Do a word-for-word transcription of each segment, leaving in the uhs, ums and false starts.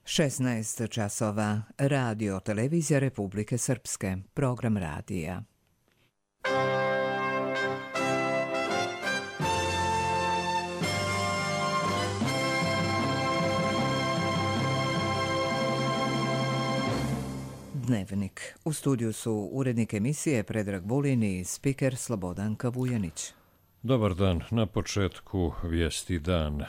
šesnaest časova. Radio Televizija Republike Srpske. Program radija. Dnevnik. U studiju su urednik emisije Predrag Vulin i spiker Slobodanka Vujanić. Dobar dan. Na početku vijesti dana.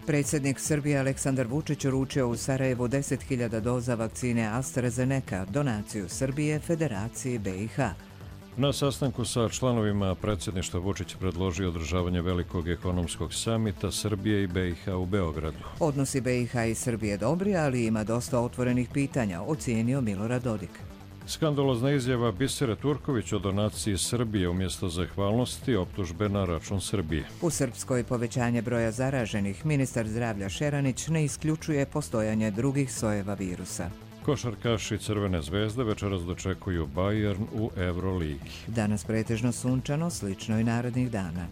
Predsjednik Srbije Aleksandar Vučić uručio u Sarajevu deset hiljada doza vakcine AstraZeneca, donaciju Srbije Federaciji B i H. Na sastanku sa članovima predsjedništva Vučić predložio održavanje velikog ekonomskog samita Srbije i B i H u Beogradu. Odnosi B i H i Srbije dobri, ali ima dosta otvorenih pitanja, ocijenio Milorad Dodik. Skandalozna izjava Bisere Turković o donaciji Srbije umjesto zahvalnosti, optužbe na račun Srbije. U Srpskoj povećanje broja zaraženih, ministar zdravlja Šeranić ne isključuje postojanje drugih sojeva virusa. Košarkaši Crvene zvezde večeras dočekuju Bayern u Euroligi. Danas pretežno sunčano, slično i narednih dana.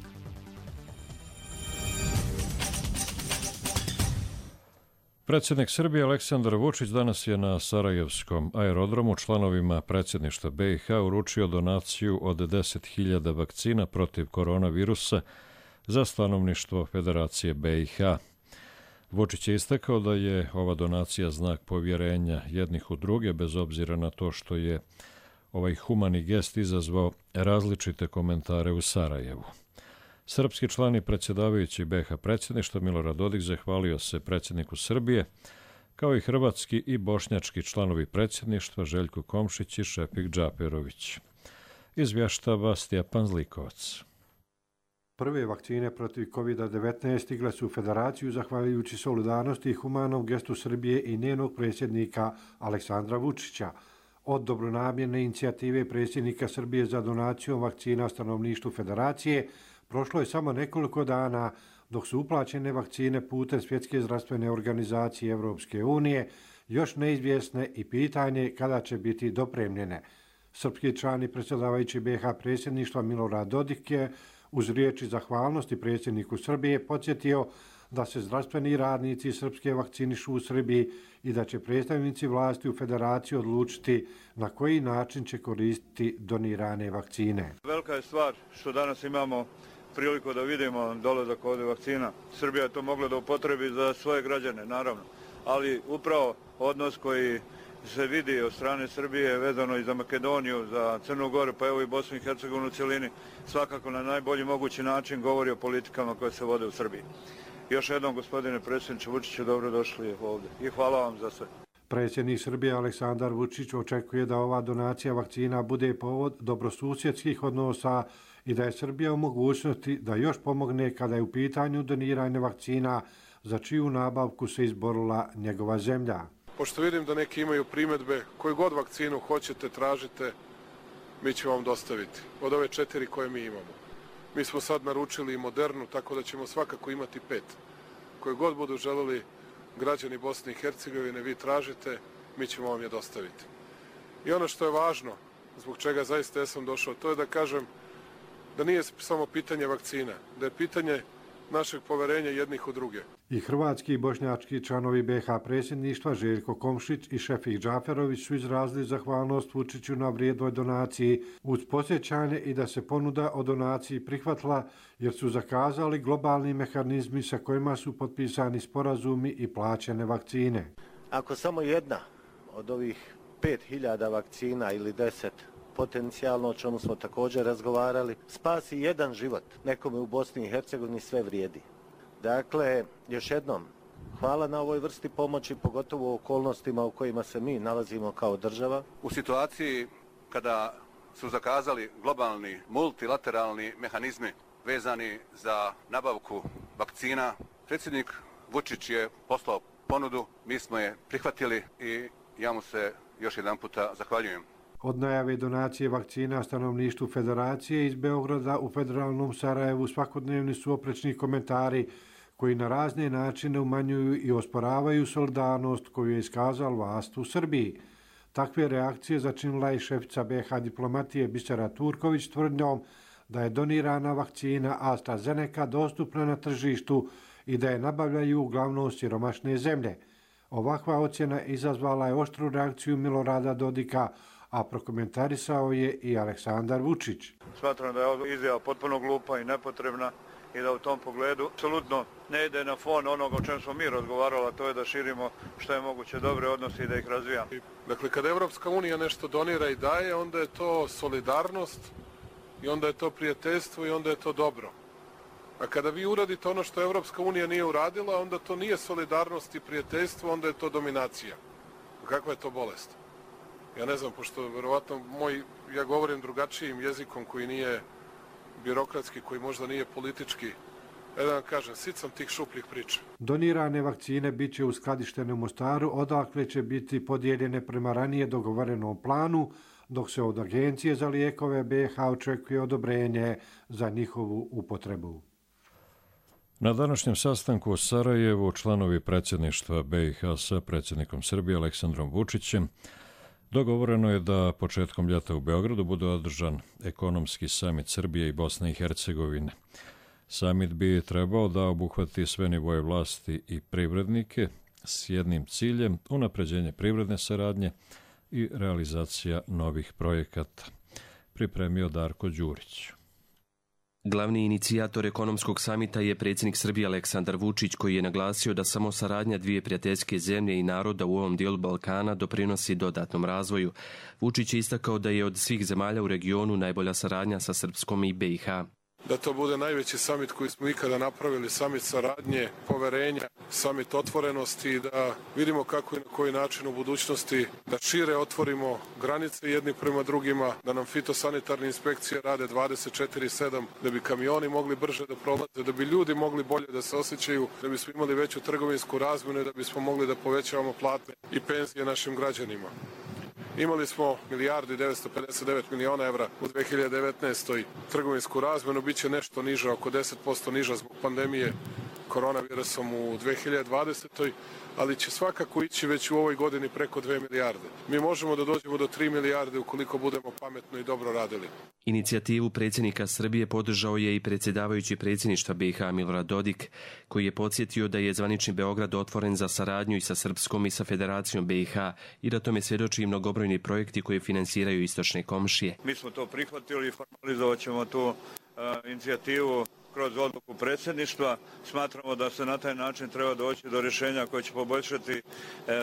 Predsjednik Srbije Aleksandar Vučić danas je na Sarajevskom aerodromu članovima predsjedništva B i H uručio donaciju od deset hiljada vakcina protiv koronavirusa za stanovništvo Federacije B i H. Vučić je istakao da je ova donacija znak povjerenja jednih u druge, bez obzira na to što je ovaj humani gest izazvao različite komentare u Sarajevu. Srpski član i predsjedavajući B i H predsjedništva Milorad Dodik zahvalio se predsjedniku Srbije, kao i hrvatski i bošnjački članovi predsjedništva Željko Komšić i Šefik Džaperović. Izvještava Stjepan Zlikovac. Prve vakcine protiv kovid devetnaest stigle su u Federaciju zahvaljujući solidarnosti i humanom gestu Srbije i njenog predsjednika Aleksandra Vučića. Od dobronamjerne inicijative predsjednika Srbije za donacijom vakcina stanovništvu Federacije prošlo je samo nekoliko dana, dok su uplaćene vakcine putem Svjetske zdravstvene organizacije Evropske unije još neizvjesne i pitanje kada će biti dopremljene. Srpski član i predsjedavajući B i H predsjedništva Milorad Dodik je uz riječi zahvalnosti predsjedniku Srbije podsjetio da se zdravstveni radnici srpske vakcinišu u Srbiji i da će predstavnici vlasti u Federaciji odlučiti na koji način će koristiti donirane vakcine. Velika je stvar što danas imamo priliku da vidimo dolazak ovdje vakcina. Srbija je to mogla da upotrebi za svoje građane, naravno, ali upravo odnos koji se vidi od strane Srbije vezano i za Makedoniju, za Crnu Goru, pa evo i Bosnu i Hercegovinu u cjelini, svakako na najbolji mogući način govori o politikama koje se vode u Srbiji. Još jednom, gospodine predsjedniče Vučiću, dobrodošli ovdje i hvala vam za sve. Predsjednik Srbije Aleksandar Vučić očekuje da ova donacija vakcina bude povod dobrosusjedskih odnosa i da je Srbija u mogućnosti da još pomogne kada je u pitanju doniranje vakcina za čiju nabavku se izborila njegova zemlja. Pošto vidim da neki imaju primjedbe, koju god vakcinu hoćete, tražite, mi ćemo vam dostaviti. Od ove četiri koje mi imamo. Mi smo sad naručili i Modernu, tako da ćemo svakako imati pet. Koju god budu želeli građani Bosne i Hercegovine, vi tražite, mi ćemo vam je dostaviti. I ono što je važno, zbog čega zaista ja sam došao, to je da kažem da nije samo pitanje vakcina, da je pitanje našeg poverenja jednih u druge. I hrvatski i bošnjački članovi B i H predsjedništva Željko Komšić i Šefik Džaferović su izrazili zahvalnost Vučiću na vrijednoj donaciji uz podsjećanje i da se ponuda o donaciji prihvatila jer su zakazali globalni mehanizmi sa kojima su potpisani sporazumi i plaćene vakcine. Ako samo jedna od ovih pet hiljada vakcina ili deset potencijalno, o čemu smo također razgovarali, spasi jedan život nekome u Bosni i Hercegovini, sve vrijedi. Dakle, još jednom, hvala na ovoj vrsti pomoći, pogotovo u okolnostima u kojima se mi nalazimo kao država. U situaciji kada su zakazali globalni multilateralni mehanizmi vezani za nabavku vakcina, predsjednik Vučić je poslao ponudu, mi smo je prihvatili i ja mu se još jedan puta zahvaljujem. Od najave donacije vakcina stanovništvu Federacije iz Beograda u federalnom Sarajevu svakodnevni su oprečni komentari koji na razne načine umanjuju i osporavaju solidarnost koju je iskazala vlast u Srbiji. Takve reakcije začinila je šefica B i H diplomatije Bisera Turković tvrdnjom da je donirana vakcina AstraZeneca dostupna na tržištu i da je nabavljaju uglavnom siromašne zemlje. Ovakva ocjena izazvala je oštru reakciju Milorada Dodika, a prokomentarisao je i Aleksandar Vučić. Smatram da je ova izjava potpuno glupa i nepotrebna i da u tom pogledu apsolutno ne ide na fon onoga o čem smo mi razgovarali, a to je da širimo što je moguće dobre odnose i da ih razvijamo. Dakle, kada Evropska unija nešto donira i daje, onda je to solidarnost i onda je to prijateljstvo i onda je to dobro. A kada vi uradite ono što Evropska unija nije uradila, onda to nije solidarnost i prijateljstvo, onda je to dominacija. Kakva je to bolest? Ja ne znam, pošto verovatno moj, ja govorim drugačijim jezikom koji nije birokratski, koji možda nije politički. E da vam kažem, sit sam tih šupljih priča. Donirane vakcine bit će uskladištene u Mostaru, odakle će biti podijeljene prema ranije dogovorenom planu, dok se od Agencije za lijekove B iH očekuje odobrenje za njihovu upotrebu. Na današnjem sastanku u Sarajevu članovi predsjedništva B iH sa predsjednikom Srbije Aleksandrom Vučićem dogovoreno je da početkom ljeta u Beogradu bude održan ekonomski samit Srbije i Bosne i Hercegovine. Samit bi trebao da obuhvati sve nivoje vlasti i privrednike s jednim ciljem unapređenje privredne saradnje i realizacija novih projekata. Pripremio Darko Đurić. Glavni inicijator ekonomskog samita je predsjednik Srbije Aleksandar Vučić, koji je naglasio da samo saradnja dvije prijateljske zemlje i naroda u ovom dijelu Balkana doprinosi dodatnom razvoju. Vučić je istakao da je od svih zemalja u regionu najbolja saradnja sa Srpskom i B iH. Da to bude najveći samit koji smo ikada napravili, samit saradnje, poverenja, samit otvorenosti i da vidimo kako i na koji način u budućnosti da šire otvorimo granice jedni prema drugima, da nam fitosanitarne inspekcije rade dvadeset četiri sedam, da bi kamioni mogli brže da prolaze, da bi ljudi mogli bolje da se osjećaju, da bismo imali veću trgovinsku razmjenu i da bismo mogli da povećavamo plate i penzije našim građanima. Imali smo milijardu i devetsto pedeset devet miliona evra u dve hiljade devetnaestoj trgovinsku razmjenu, bit će nešto niža, oko deset posto niža zbog pandemije koronavirusom u dve hiljade dvadesetoj, ali će svakako ići već u ovoj godini preko dve milijarde. Mi možemo da dođemo do tri milijarde ukoliko budemo pametno i dobro radili. Inicijativu predsjednika Srbije podržao je i predsjedavajući predsjedništva B iH Milorad Dodik, koji je podsjetio da je zvanični Beograd otvoren za saradnju i sa Srpskom i sa Federacijom B iH i da tome svjedoči i mnogobrojni projekti koje finansiraju istočne komšije. Mi smo to prihvatili i formalizovat ćemo tu uh, inicijativu kroz odluku predsjedništva. Smatramo da se na taj način treba doći do rješenja koje će poboljšati e,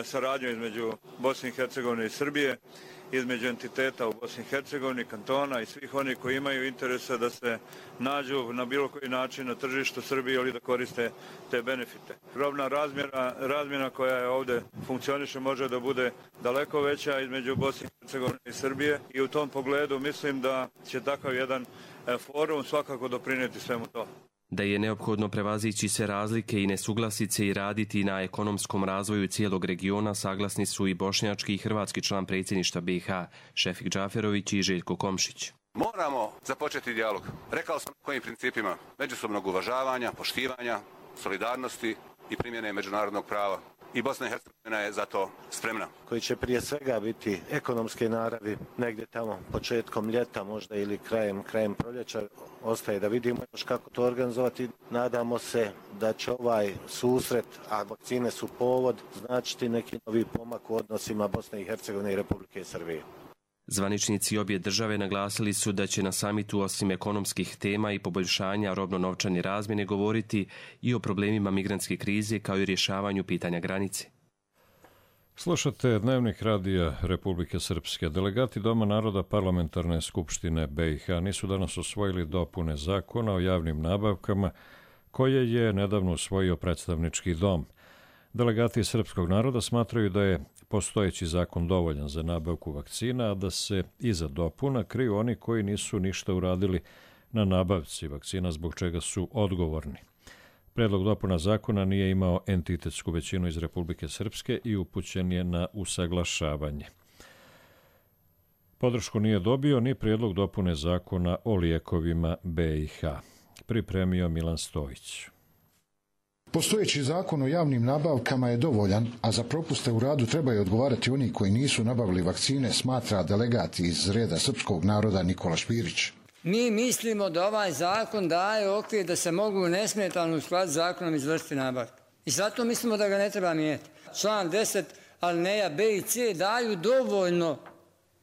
saradnju između Bosne i Hercegovine i Srbije, između entiteta u Bosni i Hercegovini, kantona i svih onih koji imaju interesa da se nađu na bilo koji način na tržištu Srbije ili da koriste te benefite. Robna razmjena, razmjena koja je ovdje funkcioniše može da bude daleko veća između Bosne i Hercegovine i Srbije i u tom pogledu mislim da će takav jedan forum svakako doprinijeti svemu to. Da je neophodno prevazići sve razlike i nesuglasice i raditi na ekonomskom razvoju cijelog regiona saglasni su i bošnjački i hrvatski član predsjedništva B iH, Šefik Džaferović i Željko Komšić. Moramo započeti dijalog. Rekao sam kojim principima: međusobnog uvažavanja, poštivanja, solidarnosti i primjene međunarodnog prava. I Bosna i Hercegovina je za to spremna. Koji će prije svega biti ekonomske naravi, negdje tamo početkom ljeta možda ili krajem, krajem proljeća. Ostaje da vidimo još kako to organizovati. Nadamo se da će ovaj susret, a vakcine su povod, značiti neki novi pomak u odnosima Bosne i Hercegovine i Republike Srbije. Zvaničnici obje države naglasili su da će na samitu osim ekonomskih tema i poboljšanja robno-novčane razmjene govoriti i o problemima migrantske krize kao i rješavanju pitanja granice. Slušate Dnevnik radija Republike Srpske. Delegati Doma naroda Parlamentarne skupštine B iH nisu danas usvojili dopune zakona o javnim nabavkama koje je nedavno usvojio predstavnički dom. Delegati srpskog naroda smatraju da je postojeći zakon dovoljan za nabavku vakcina, a da se iza dopuna kriju oni koji nisu ništa uradili na nabavci vakcina, zbog čega su odgovorni. Predlog dopuna zakona nije imao entitetsku većinu iz Republike Srpske i upućen je na usaglašavanje. Podršku nije dobio ni predlog dopune zakona o lijekovima B iH. Pripremio Milan Stojić. Postojeći zakon o javnim nabavkama je dovoljan, a za propuste u radu trebaju odgovarati oni koji nisu nabavili vakcine, smatra delegat iz reda srpskog naroda Nikola Špirić. Mi mislimo da ovaj zakon daje okvir da se mogu nesmetano u skladu s zakonom izvršiti nabavke. I zato mislimo da ga ne treba mijenjati. Član deset, alineja B i C daju dovoljno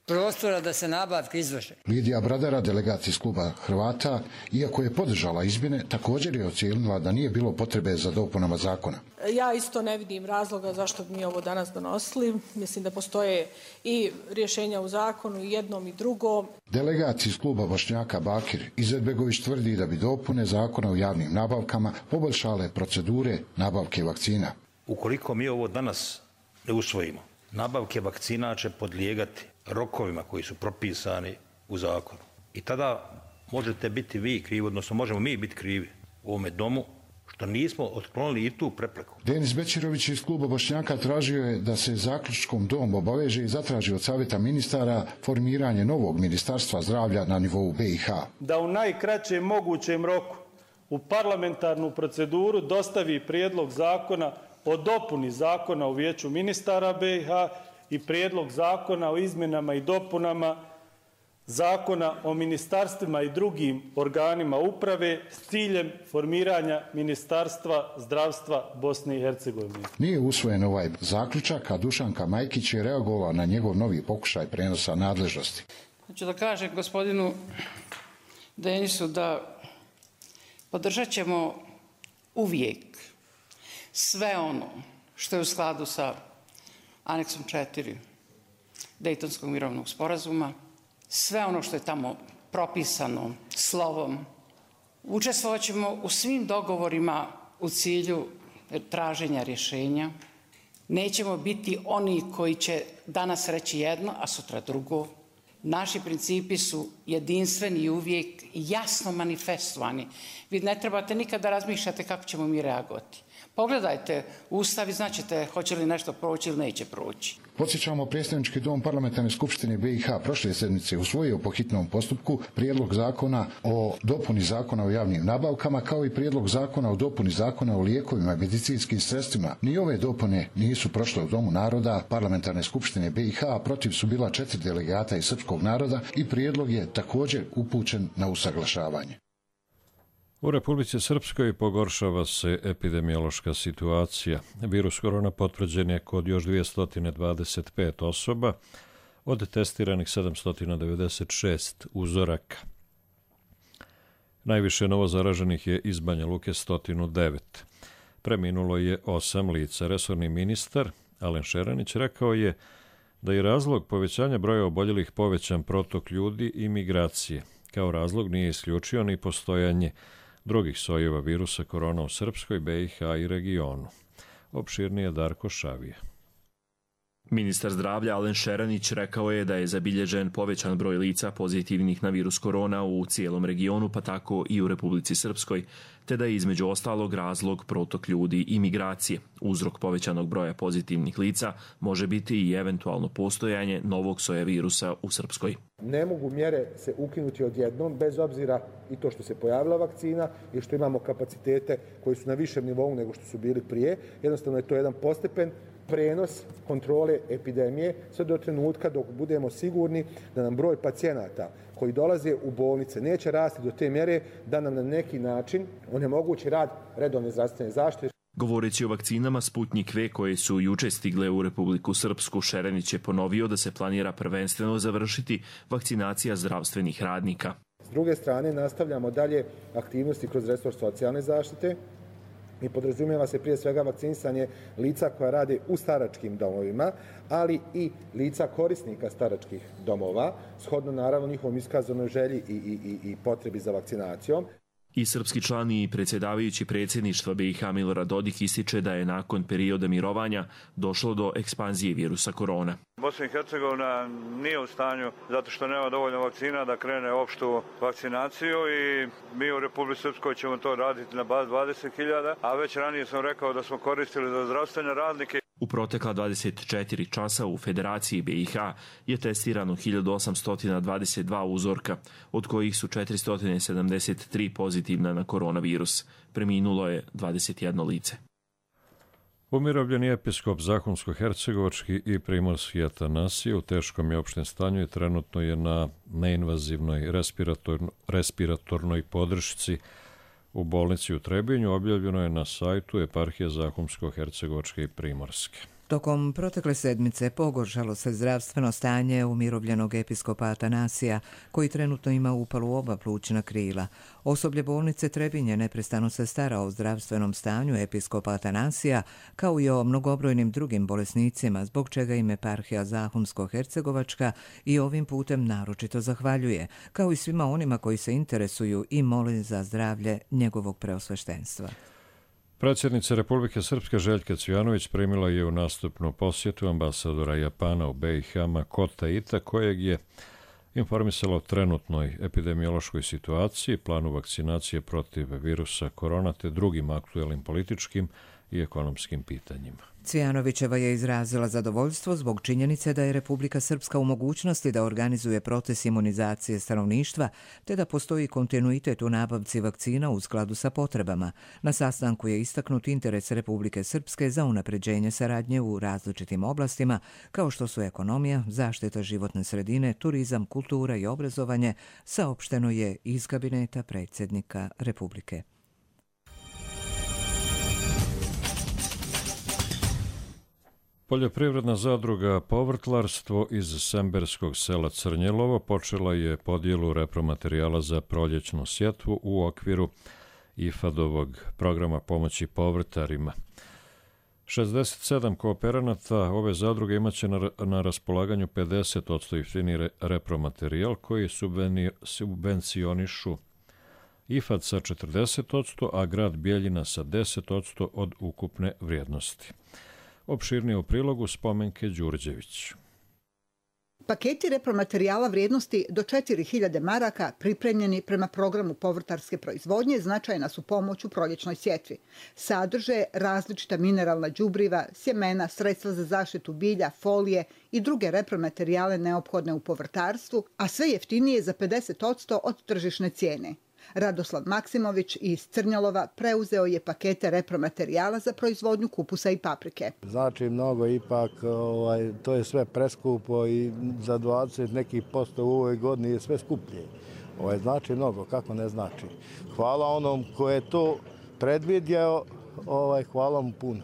prostora da se nabavke izvrše. Lidija Bradara, delegat iz kluba Hrvata, iako je podržala izmjene, također je ocijenila da nije bilo potrebe za dopunama zakona. Ja isto ne vidim razloga zašto bi mi ovo danas donosili. Mislim da postoje i rješenja u zakonu, i jednom i drugom. Delegat iz kluba Bošnjaka Bakir Izetbegović tvrdi da bi dopune zakona o javnim nabavkama poboljšale procedure nabavke vakcina. Ukoliko mi ovo danas ne usvojimo, nabavke vakcina će podlijegati rokovima koji su propisani u zakonu. I tada možete biti vi krivi, odnosno možemo mi biti krivi u ovome domu što nismo otklonili i tu prepreku. Denis Bečirović iz kluba Bošnjaka tražio je da se zaključkom dom obaveže i zatraži od savjeta ministara formiranje novog ministarstva zdravlja na nivou B i H. Da u najkraćem mogućem roku u parlamentarnu proceduru dostavi prijedlog zakona o dopuni zakona o vijeću ministara B i H i prijedlog zakona o izmjenama i dopunama zakona o ministarstvima i drugim organima uprave s ciljem formiranja Ministarstva zdravstva Bosne i Hercegovine. Nije usvojen ovaj zaključak, a Dušanka Majkić je reagovala na njegov novi pokušaj prenosa nadležnosti. Hoću da kažem gospodinu Denisu da podržat ćemo uvijek sve ono što je u skladu sa aneksom četiri Dejtonskog mirovnog sporazuma, sve ono što je tamo propisano slovom. Učestvovat ćemo u svim dogovorima u cilju traženja rješenja. Nećemo biti oni koji će danas reći jedno, a sutra drugo. Naši principi su jedinstveni i uvijek jasno manifestovani. Vi ne trebate nikada razmišljati kako ćemo mi reagovati. Pogledajte Ustav i znaćete hoće li nešto proći ili neće proći. Podsjećamo, predstavnički dom parlamentarne skupštine B i H prošle sedmice usvojio po hitnom postupku prijedlog zakona o dopuni zakona o javnim nabavkama, kao i prijedlog zakona o dopuni zakona o lijekovima i medicinskim sredstvima. Ni ove dopune nisu prošle u Domu naroda parlamentarne skupštine B i H, a protiv su bila četiri delegata iz srpskog naroda i prijedlog je također upućen na usaglašavanje. U Republici Srpskoj pogoršava se epidemiološka situacija. Virus korona potvrđen je kod još dvjesto dvadeset pet osoba, od testiranih sedamsto devedeset šest uzoraka. Najviše novozaraženih je iz Banja Luke sto devet. Preminulo je osam lica. Resorni ministar Alen Šeranić rekao je da je razlog povećanja broja oboljelih povećan protok ljudi i migracije. Kao razlog nije isključio ni postojanje drugih sojeva virusa korona u Srpskoj, B i H i regionu. Opširnije Darko Šavija. Ministar zdravlja Alen Šeranić rekao je da je zabilježen povećan broj lica pozitivnih na virus korona u cijelom regionu, pa tako i u Republici Srpskoj, te da je između ostalog razlog protok ljudi i migracije. Uzrok povećanog broja pozitivnih lica može biti i eventualno postojanje novog soja virusa u Srpskoj. Ne mogu mjere se ukinuti odjednom, bez obzira i to što se pojavila vakcina i što imamo kapacitete koji su na višem nivou nego što su bili prije. Jednostavno je to jedan postepen prenos kontrole epidemije sve do trenutka dok budemo sigurni da nam broj pacijenata koji dolaze u bolnice neće rasti do te mjere da nam na neki način onemogući rad redovne zdravstvene zaštite. Govoreći o vakcinama Sputnik V koje su juče stigle u Republiku Srpsku, Šeranić je ponovio da se planira prvenstveno završiti vakcinacija zdravstvenih radnika. S druge strane, nastavljamo dalje aktivnosti kroz resor socijalne zaštite i podrazumijeva se prije svega vakcinisanje lica koja rade u staračkim domovima, ali i lica korisnika staračkih domova, shodno naravno njihovom iskazanoj želji i, i, i, i potrebi za vakcinacijom. I srpski član i predsjedavajući predsjedništva B i H Milorad Dodik ističe da je nakon perioda mirovanja došlo do ekspanzije virusa korona. Bosna i Hercegovina nije u stanju, zato što nema dovoljno vakcina, da krene opštu vakcinaciju i mi u Republici Srpskoj ćemo to raditi na bazi dvadeset hiljada, a već ranije sam rekao da smo koristili za zdravstvene radnike. U protekla dvadeset četiri časa u Federaciji B i H je testirano hiljadu osamsto dvadeset dva uzorka, od kojih su četiristo sedamdeset tri pozitivna na koronavirus. Preminulo je dvadeset jedno lice. Umirovljeni episkop Zahumsko-hercegovački i primorski Atanasije u teškom je opštem stanju i trenutno je na neinvazivnoj respiratornoj, respiratornoj podršci u bolnici u Trebinju. Objavljeno je na sajtu eparhije Zahumsko-hercegovačke i primorske. Tokom protekle sedmice pogoršalo se zdravstveno stanje umirovljenog episkopa Atanasija, koji trenutno ima upalu oba plućna krila. Osoblje bolnice Trebinje neprestano se stara o zdravstvenom stanju episkopa Atanasija, kao i o mnogobrojnim drugim bolesnicima, zbog čega im eparhija Zahumsko-hercegovačka i ovim putem naročito zahvaljuje, kao i svima onima koji se interesuju i mole za zdravlje njegovog preosveštenstva. Predsjednica Republike Srpske Željka Cvijanović primila je u nastupnu posjetu ambasadora Japana u B i H Makota Ita, kojeg je informisala o trenutnoj epidemiološkoj situaciji, planu vakcinacije protiv virusa korona te drugim aktuelnim političkim i ekonomskim pitanjima. Cvijanovićeva je izrazila zadovoljstvo zbog činjenice da je Republika Srpska u mogućnosti da organizuje proces imunizacije stanovništva, te da postoji kontinuitet u nabavci vakcina u skladu sa potrebama. Na sastanku je istaknut interes Republike Srpske za unapređenje saradnje u različitim oblastima, kao što su ekonomija, zaštita životne sredine, turizam, kultura i obrazovanje, saopšteno je iz kabineta predsjednika Republike. Poljoprivredna zadruga Povrtlarstvo iz semberskog sela Crnjelovo počela je podjelu repromaterijala za proljećnu sjetvu u okviru I F A D-ovog programa pomoći povrtarima. šezdeset sedam kooperanata ove zadruge imaće na, na raspolaganju pedeset posto jeftiniji repromaterijal koji subvencionišu I F A D sa četrdeset posto, a grad Bijeljina sa deset posto od ukupne vrijednosti. Opširnije u prilogu Spomenke Đurđević. Paketi repromaterijala vrijednosti do četiri hiljade maraka pripremljeni prema programu povrtarske proizvodnje značajna su pomoć u proljećnoj sjetvi. Sadrže različita mineralna đubriva, sjemena, sredstva za zaštitu bilja, folije i druge repromaterijale neophodne u povrtarstvu, a sve jeftinije za pedeset posto od tržišne cijene. Radoslav Maksimović iz Crnjalova preuzeo je pakete repromaterijala za proizvodnju kupusa i paprike. Znači mnogo ipak, ovaj, to je sve preskupo i za dvadeset nekih posto u ovoj godini je sve skuplje. Ovaj, znači mnogo, kako ne znači. Hvala onom ko je to predvidio, ovaj, hvala mu puno.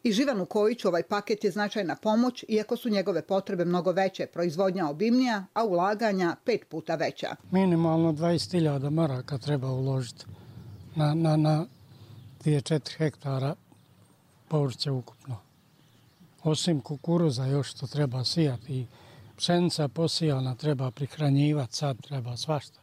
I Živanu Kojiću ovaj paket je značajna pomoć, iako su njegove potrebe mnogo veće, proizvodnja obimnija, a ulaganja pet puta veća. Minimalno dvadeset hiljada maraka treba uložiti na, na, na dvije do četiri hektara povrća ukupno. Osim kukuruza još što treba sijati i pšenica posijana treba prihranjivati, sad treba svašta.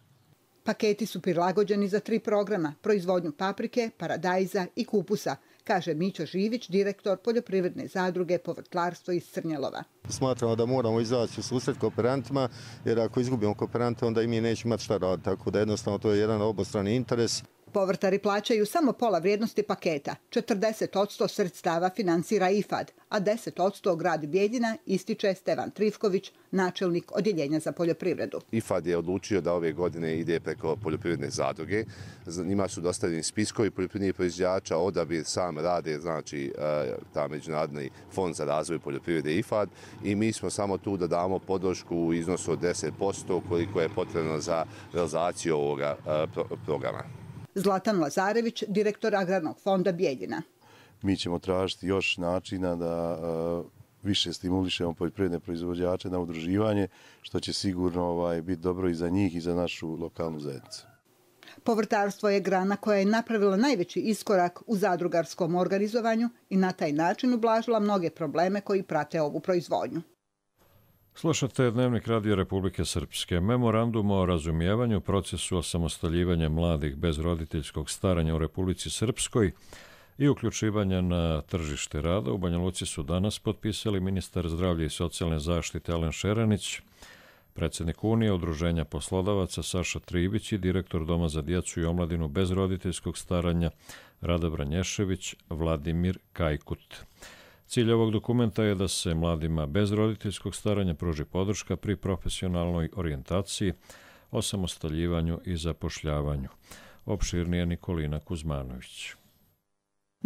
Paketi su prilagođeni za tri programa, proizvodnju paprike, paradajza i kupusa, kaže Mićo Živić, direktor poljoprivredne zadruge Povrtlarstvo iz Crnjelova. Smatramo da moramo izaći u susret kooperantima, jer ako izgubimo kooperante, onda i mi nećemo imati šta raditi, tako da jednostavno to je jedan obostrani interes. Povrtari plaćaju samo pola vrijednosti paketa. četrdeset posto sredstava finansira I F A D, a deset posto grad Bijeljina, ističe Stevan Trifković, načelnik odjeljenja za poljoprivredu. I F A D je odlučio da ove godine ide preko poljoprivredne zadruge. Njima su dostavljeni spiskovi poljoprivrednih proizvođača, odabir sam rade, znači ta Međunarodni fond za razvoj poljoprivrede I F A D, i mi smo samo tu da damo podršku u iznosu od deset posto koliko je potrebno za realizaciju ovoga programa. Zlatan Lazarević, direktor Agrarnog fonda Bijeljina. Mi ćemo tražiti još načina da uh, više stimulišemo poljoprivredne proizvođače na udruživanje, što će sigurno ovaj, biti dobro i za njih i za našu lokalnu zajednicu. Povrtarstvo je grana koja je napravila najveći iskorak u zadrugarskom organizovanju i na taj način ublažila mnoge probleme koji prate ovu proizvodnju. Slušate Dnevnik Radio Republike Srpske. Memorandum o razumijevanju procesu osamostaljivanja mladih bez roditeljskog staranja u Republici Srpskoj i uključivanja na tržište rada u Banja Luci su danas potpisali ministar zdravlja i socijalne zaštite Alen Šeranić, predsjednik Unije Udruženja poslodavaca Saša Tribić i direktor Doma za djecu i omladinu bez roditeljskog staranja Rada Branješević Vladimir Kajkut. Cilj ovog dokumenta je da se mladima bez roditeljskog staranja pruži podrška pri profesionalnoj orijentaciji, osamostaljivanju i zapošljavanju. Opširnije Nikolina Kuzmanović.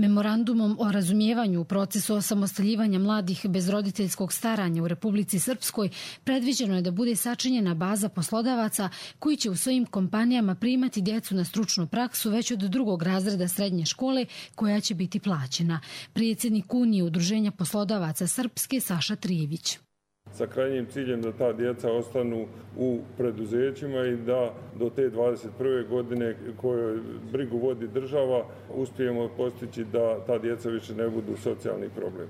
Memorandumom o razumijevanju u procesu osamostaljivanja mladih bez roditeljskog staranja u Republici Srpskoj predviđeno je da bude sačinjena baza poslodavaca koji će u svojim kompanijama primati djecu na stručnu praksu već od drugog razreda srednje škole koja će biti plaćena. Predsjednik Unije Udruženja poslodavaca Srpske Saša Trijević. Sa krajnjim ciljem da ta djeca ostanu u preduzećima i da do te dvadeset prve godine koje brigu vodi država uspijemo postići da ta djeca više ne budu socijalni problem.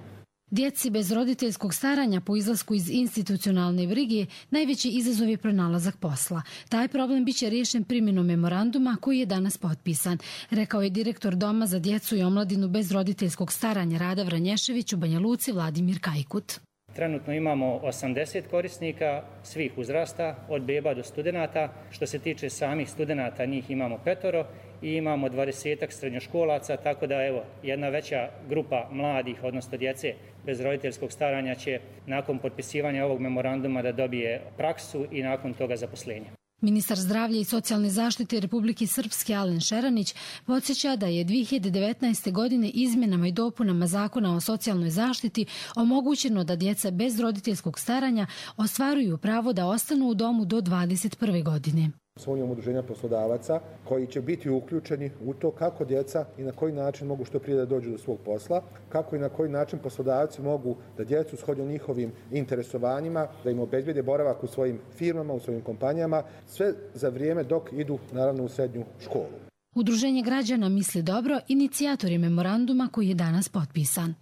Djeci bez roditeljskog staranja po izlasku iz institucionalne brige najveći izazov je pronalazak posla. Taj problem biće riješen primjenom memoranduma koji je danas potpisan, rekao je direktor Doma za djecu i omladinu bez roditeljskog staranja Rada Vranješević u Banja Luci Vladimir Kajkut. Trenutno imamo osamdeset korisnika svih uzrasta, od beba do studenata. Što se tiče samih studenata, njih imamo petoro i imamo dvadesetak srednjoškolaca, tako da evo, jedna veća grupa mladih, odnosno djece bez roditeljskog staranja će nakon potpisivanja ovog memoranduma da dobije praksu i nakon toga zaposlenje. Ministar zdravlja i socijalne zaštite Republike Srpske Alen Šeranić podsjeća da je dvije hiljade devetnaeste. godine izmjenama i dopunama Zakona o socijalnoj zaštiti omogućeno da djeca bez roditeljskog staranja ostvaruju pravo da ostanu u domu do dvadeset prve. godine. Svojom udruženja poslodavaca koji će biti uključeni u to kako djeca i na koji način mogu što prije da dođu do svog posla, kako i na koji način poslodavci mogu da djecu shodno njihovim interesovanjima, da im obezbede boravak u svojim firmama, u svojim kompanijama, sve za vrijeme dok idu naravno u srednju školu. Udruženje građana Misli dobro inicijator je memoranduma koji je danas potpisan.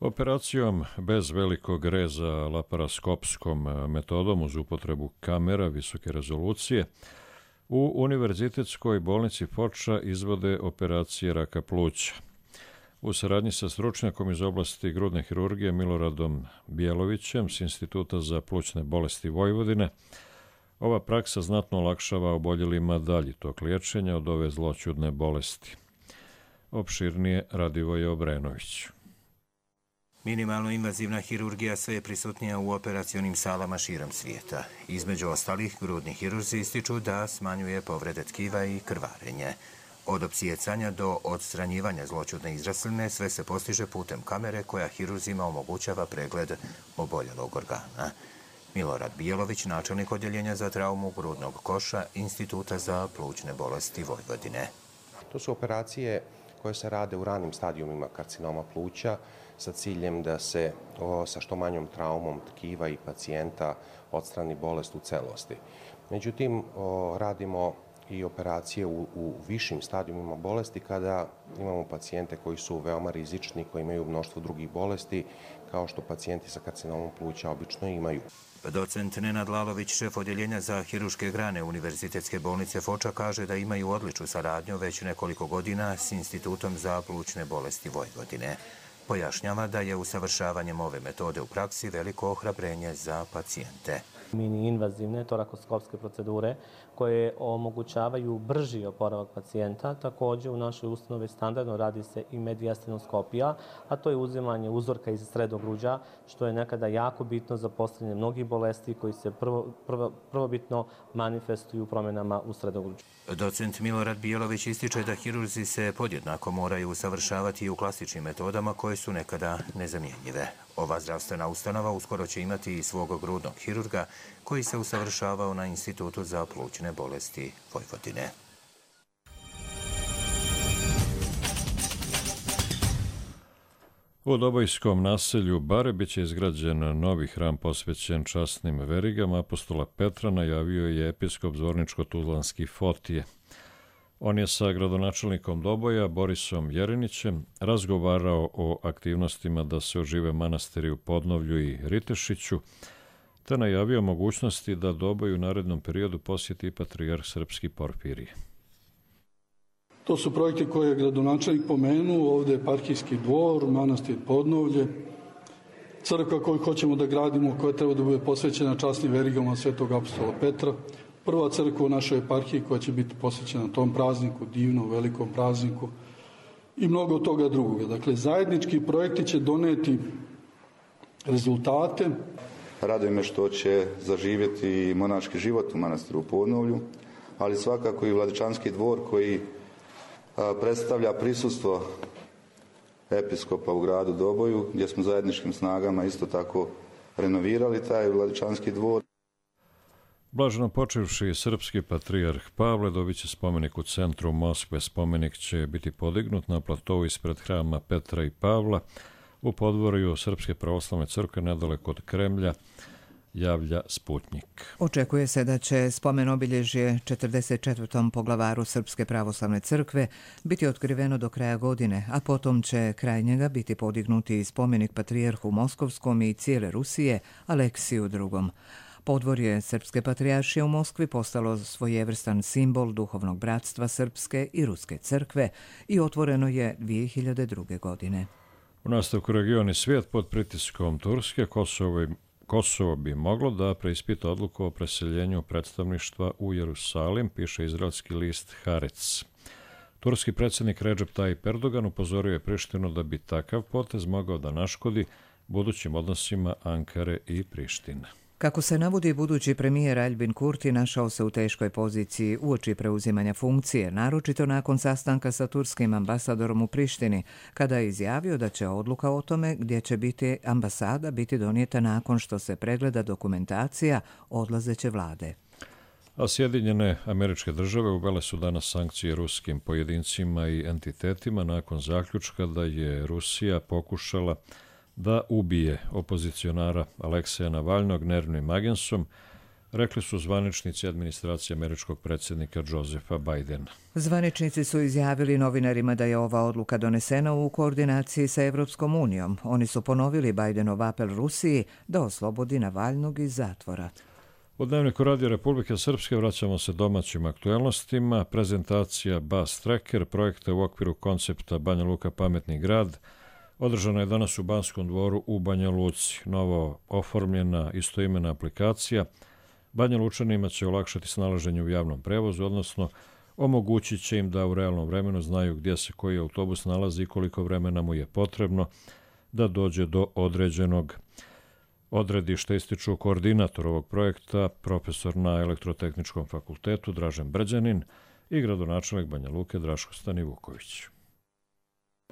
Operacijom bez velikog reza laparaskopskom metodom uz upotrebu kamera visoke rezolucije u Univerzitetskoj bolnici Foča izvode operacije raka pluća. U saradnji sa stručnjakom iz oblasti grudne hirurgije Miloradom Bjelovićem s Instituta za plućne bolesti Vojvodine, ova praksa znatno olakšava oboljelima dalji tok liječenja od ove zloćudne bolesti. Opširnije Radivoje Obrenović. Minimalno invazivna hirurgija sve je prisutnija u operacionim salama širom svijeta. Između ostalih, grudni hirurzi ističu da smanjuje povrede tkiva i krvarenje. Od opsijecanja do odstranjivanja zloćudne izrasline sve se postiže putem kamere koja hirurzima omogućava pregled oboljelog organa. Milorad Bijelović, načelnik odjeljenja za traumu grudnog koša Instituta za plućne bolesti Vojvodine. To su operacije koje se rade u ranim stadijumima karcinoma pluća sa ciljem da se o, sa što manjom traumom tkiva i pacijenta odstrani bolest u celosti. Međutim, o, radimo i operacije u, u višim stadijumima bolesti kada imamo pacijente koji su veoma rizični, koji imaju mnoštvo drugih bolesti, kao što pacijenti sa karcinomom pluća obično imaju. Docent Nenad Lalović, šef odjeljenja za hiruške grane Univerzitetske bolnice Foča, kaže da imaju odličnu saradnju već nekoliko godina s Institutom za plućne bolesti Vojvodine. Pojašnjava da je usavršavanjem ove metode u praksi veliko ohrabrenje za pacijente. Mini invazivne torakoskopske procedure koje omogućavaju brži oporavak pacijenta. Također u našoj ustanovi standardno radi se i mediastinoskopija, a to je uzimanje uzorka iz sredogruđa, što je nekada jako bitno za postavljanje mnogih bolesti koji se prvo, prvo, prvobitno manifestuju promjenama u sredogruđu. Docent Milorad Bijelović ističe da hirurzi se podjednako moraju usavršavati i u klasičnim metodama koje su nekada nezamjenjive. Ova zdravstvena ustanova uskoro će imati i svog grudnog hirurga koji se usavršavao na Institutu za plućne bolesti Vojvodine. U Dobojskom naselju Bare biće izgrađen novi hram posvećen časnim verigama apostola Petra, najavio je episkop Zvorničko-Tuzlanski Fotije. On je sa gradonačelnikom Doboja, Borisom Jerinićem, razgovarao o aktivnostima da se ožive manastiri u Podnovlju i Ritešiću, te najavio mogućnosti da Doboj u narednom periodu posjeti patrijarh srpski Porfirije. To su projekti koje je gradonačelnik pomenuo, ovdje je eparhijski dvor, manastir Podnovlje, crkva koju hoćemo da gradimo, koja treba da bude posvećena časnim verigama svetog apostola Petra, prva crkva u našoj eparhiji koja će biti posvećena tom prazniku, divnom, velikom prazniku i mnogo toga drugoga. Dakle, zajednički projekti će doneti rezultate. Raduje me što će zaživjeti monaški život u manastiru u Podnovlju, ali svakako i Vladičanski dvor koji predstavlja prisustvo episkopa u gradu Doboju, gdje smo zajedničkim snagama isto tako renovirali taj Vladičanski dvor. Blaženo počevši srpski patrijarh Pavle dobit će spomenik u centru Moskve. Spomenik će biti podignut na platovu ispred hrama Petra i Pavla u podvorju Srpske pravoslavne crkve nedaleko od Kremlja, javlja Sputnjik. Očekuje se da će spomen obilježje četrdeset četvrtom poglavaru Srpske pravoslavne crkve biti otkriveno do kraja godine, a potom će kraj njega biti podignuti spomenik patrijarhu Moskovskom i cijele Rusije Aleksiju drugom. Podvorje Srpske patrijaršije u Moskvi postalo svojevrstan simbol duhovnog bratstva Srpske i Ruske crkve i otvoreno je dvije hiljade druge. godine. U nastavku region i svijet pod pritiskom Turske, Kosovo, Kosovo bi moglo da preispita odluku o preseljenju predstavništva u Jerusalim, piše izraelski list Haaretz. Turski predsjednik Recep Tayyip Erdogan upozorio je Prištinu da bi takav potez mogao da naškodi budućim odnosima Ankare i Prištine. Kako se navodi, budući premijer Albin Kurti našao se u teškoj poziciji uoči preuzimanja funkcije, naročito nakon sastanka sa turskim ambasadorom u Prištini, kada je izjavio da će odluka o tome gdje će biti ambasada biti donijeta nakon što se pregleda dokumentacija odlazeće vlade. A Sjedinjene Američke Države uvele su danas sankcije ruskim pojedincima i entitetima nakon zaključka da je Rusija pokušala da ubije opozicionara Alekseja Navalnog nervnim agensom, rekli su zvaničnici administracije američkog predsjednika Josefa Bidena. Zvaničnici su izjavili novinarima da je ova odluka donesena u koordinaciji sa Evropskom unijom. Oni su ponovili Bidenov apel Rusiji da oslobodi Navalnog iz zatvora. U Dnevniku Radio Republike Srpske vraćamo se domaćim aktuelnostima. Prezentacija Bus Tracker, projekta u okviru koncepta Banja Luka pametni grad, održana je danas u Banskom dvoru u Banja Luci. Novo oformljena istoimena aplikacija Banja Lučanima će olakšati snalaženje u javnom prevozu, odnosno omogućit će im da u realnom vremenu znaju gdje se koji autobus nalazi i koliko vremena mu je potrebno da dođe do određenog odredišta, ističu koordinator ovog projekta, profesor na Elektrotehničkom fakultetu Dražen Brđanin i gradonačelnik Banja Luke Draško Stanivuković.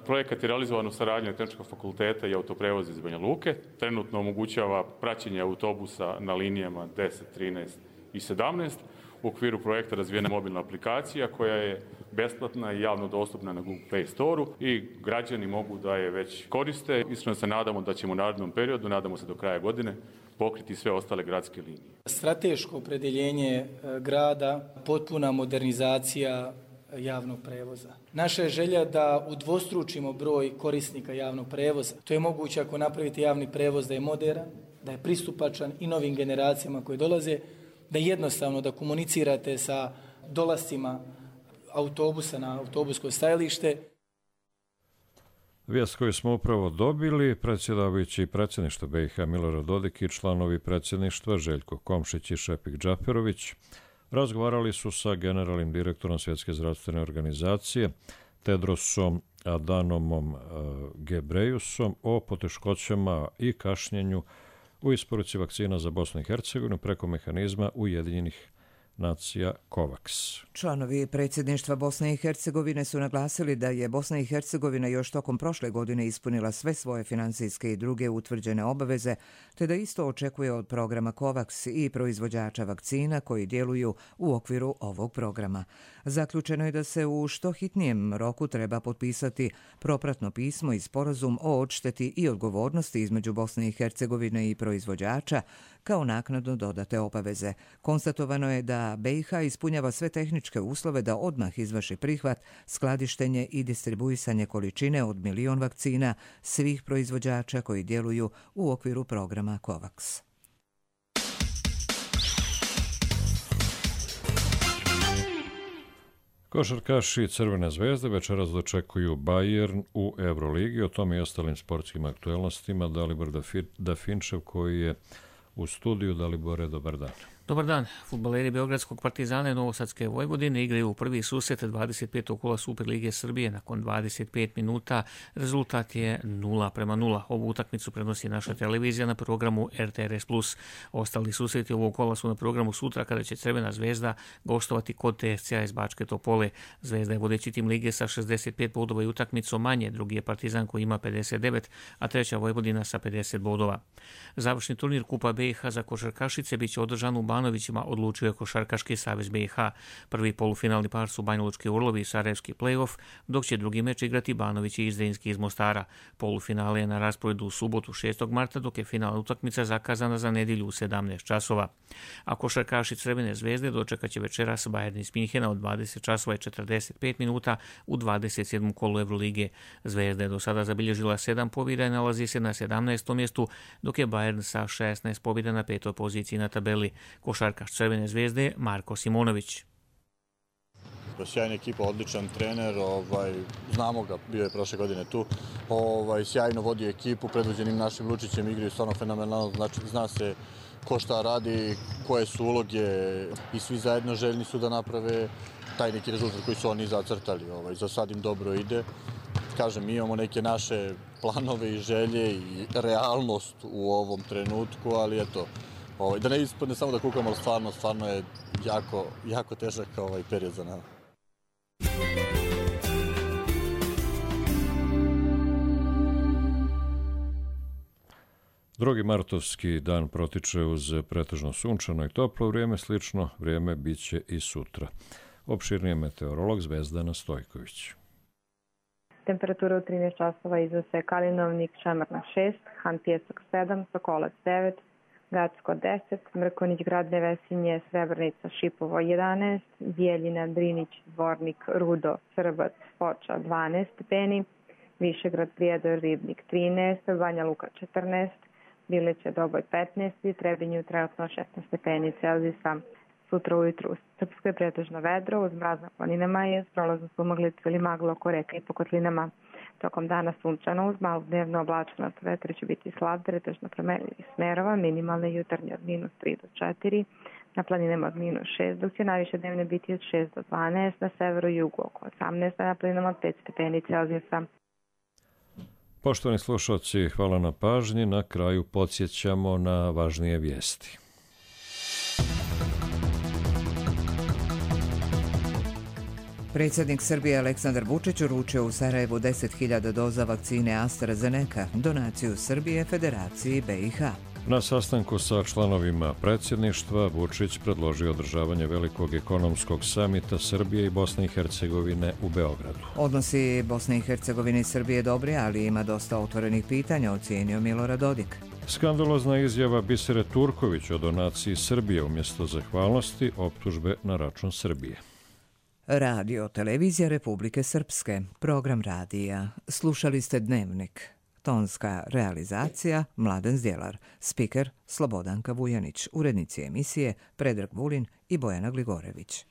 Projekat je realizovan u saradnji Tehničkog fakulteta i autoprevoza iz Banja Luke. Trenutno omogućava praćenje autobusa na linijama deset, trinaest i sedamnaest. U okviru projekta razvijena mobilna aplikacija koja je besplatna i javno dostupna na Google Play Store-u i građani mogu da je već koriste. Iskreno se nadamo da ćemo u narednom periodu, nadamo se do kraja godine, pokriti sve ostale gradske linije. Strateško opredjeljenje grada, potpuna modernizacija javnog prevoza. Naša je želja da udvostručimo broj korisnika javnog prevoza. To je moguće ako napravite javni prevoz da je moderan, da je pristupačan i novim generacijama koje dolaze, da je jednostavno da komunicirate sa dolascima autobusa na autobusko stajalište. Vijest koju smo upravo dobili, predsjedavajući predsjedništva B i H Milorad Dodik i članovi predsjedništva Željko Komšić i Šepik Džaperović razgovarali su sa generalnim direktorom Svjetske zdravstvene organizacije Tedrosom Adanomom Gebrejusom o poteškoćama i kašnjenju u isporuci vakcina za Bosnu i Hercegovinu preko mehanizma Ujedinjenih nacija COVAX. Članovi predsjedništva Bosne i Hercegovine su naglasili da je Bosna i Hercegovina još tokom prošle godine ispunila sve svoje financijske i druge utvrđene obaveze, te da isto očekuje od programa COVAX i proizvođača vakcina koji djeluju u okviru ovog programa. Zaključeno je da se u što hitnijem roku treba potpisati propratno pismo i sporazum o odšteti i odgovornosti između Bosne i Hercegovine i proizvođača kao naknadno dodate obaveze. Konstatovano je da B i H ispunjava sve tehničke uslove da odmah izvrši prihvat, skladištenje i distribuisanje količine od milion vakcina svih proizvođača koji djeluju u okviru programa COVAX. Košarkaši Crvene zvezde večeras dočekuju Bayern u Euroligi. O tome i ostalim sportskim aktuelnostima Dalibor Dafinčev koji je u studiju. Dalibore, dobar dan. Dobar dan. Fudbaleri Beogradskog Partizana i Novosadske Vojvodine igraju u prvi susret dvadeset petog kola Superlige Srbije nakon dvadeset pet minuta. Rezultat je nula prema nula. Ovu utakmicu prenosi naša televizija na programu R T R S plus. Ostali susreti ovog kola su na programu sutra kada će Crvena zvezda gostovati kod T S C A iz Bačke Topole. Zvezda je vodeći tim lige sa šezdeset pet bodova i utakmicom manje. Drugi je Partizan koji ima pedeset devet, a treća Vojvodina sa pedeset bodova. Završni turnir Kupa B i H za košarkašice biće održan u Banovićima, odlučio je Košarkaški savez B i H. Prvi polufinalni par su Banjalučki Urlovi i Sarajevski play-off, dok će drugi meč igrati Banović i Zrinski iz Mostara. Polufinale je na rasporedu u subotu šestog marta, dok je finalna utakmica zakazana za nedjelju u sedamnaest časova. A košarkaši Crvene zvezde dočekat će večeras Bayern iz Minhena od dvadeset časova i četrdeset pet minuta u dvadeset sedmom kolu Evrolige. Zvezda je do sada zabilježila sedam pobjeda i nalazi se na sedamnaestom mjestu, dok je Bayern sa šesnaest pobjeda na petoj poziciji na tabeli. Košarkaš Crvene zvezde Marko Simonović. Sjajna ekipa, odličan trener, ovaj, znamo ga, bio je prošle godine tu, ovaj, sjajno vodi ekipu, predvođenim našim Lučićem igraju stvarno fenomenalno, znači zna se ko šta radi, koje su uloge i svi zajedno željni su da naprave taj neki rezultat koji su oni zacrtali. Ovaj, za sad im dobro ide. Kažem, mi imamo neke naše planove i želje i realnost u ovom trenutku, ali eto, ovaj, da ne ispadne samo da kukamo, ali stvarno, stvarno je jako, jako težak ovaj period za nama. Drugi martovski dan protiče uz pretežno sunčano i toplo vrijeme, slično vrijeme biće i sutra. Opširnije meteorolog Zvezdana Stojković. Temperatura u trinaest časova iznose Kalinovnik, Šemarna šest, Han Pjesak sedam, Sokolac devet, Gacko deset, Mrkonić, Grad Nevesinje, Srebrnica, Šipovo jedanaest, Bijeljina, Drinić, Dvornik, Rudo, Srbac, Foča dvanaest stepeni, Višegrad, Prijedor, Ribnik trinaest, Banja Luka četrnaest, Bileće, Doboj petnaest i Trebinju trenutno šesnaest stepeni Celzijusa. Sutra ujutru u Srpskoj pretežno vedro, uz mraz na planinama je s prolazom sumaglicu ili magla oko reka i po kotlinama. Tokom dana sunčano uz malu dnevno oblačenost, vetar će biti slab, pretežno promenljivih smerova, minimalne jutarnje od minus tri do četiri, na planinama od minus šest, dok će najviše dnevne biti od šest do dvanaest, na severu i jugu oko osamnaest, a na planinama od pet stepeni Celzijusa. Poštovani slušalci, hvala na pažnji. Na kraju podsjećamo na važnije vijesti. Predsjednik Srbije Aleksandar Vučić uručio u Sarajevu deset hiljada doza vakcine AstraZeneca, donaciju Srbije Federaciji B i H. Na sastanku sa članovima predsjedništva Vučić predložio održavanje velikog ekonomskog samita Srbije i Bosne i Hercegovine u Beogradu. Odnosi Bosne i Hercegovine i Srbije dobri, ali ima dosta otvorenih pitanja, ocijenio Milorad Dodik. Skandalozna izjava Bisere Turković o donaciji Srbije umjesto zahvalnosti, optužbe na račun Srbije. Radio Televizija Republike Srpske, program radija. Slušali ste Dnevnik. Tonska realizacija Mladen Zdjelar, spiker Slobodanka Vujanić, urednici emisije Predrag Vulin i Bojana Gligorević.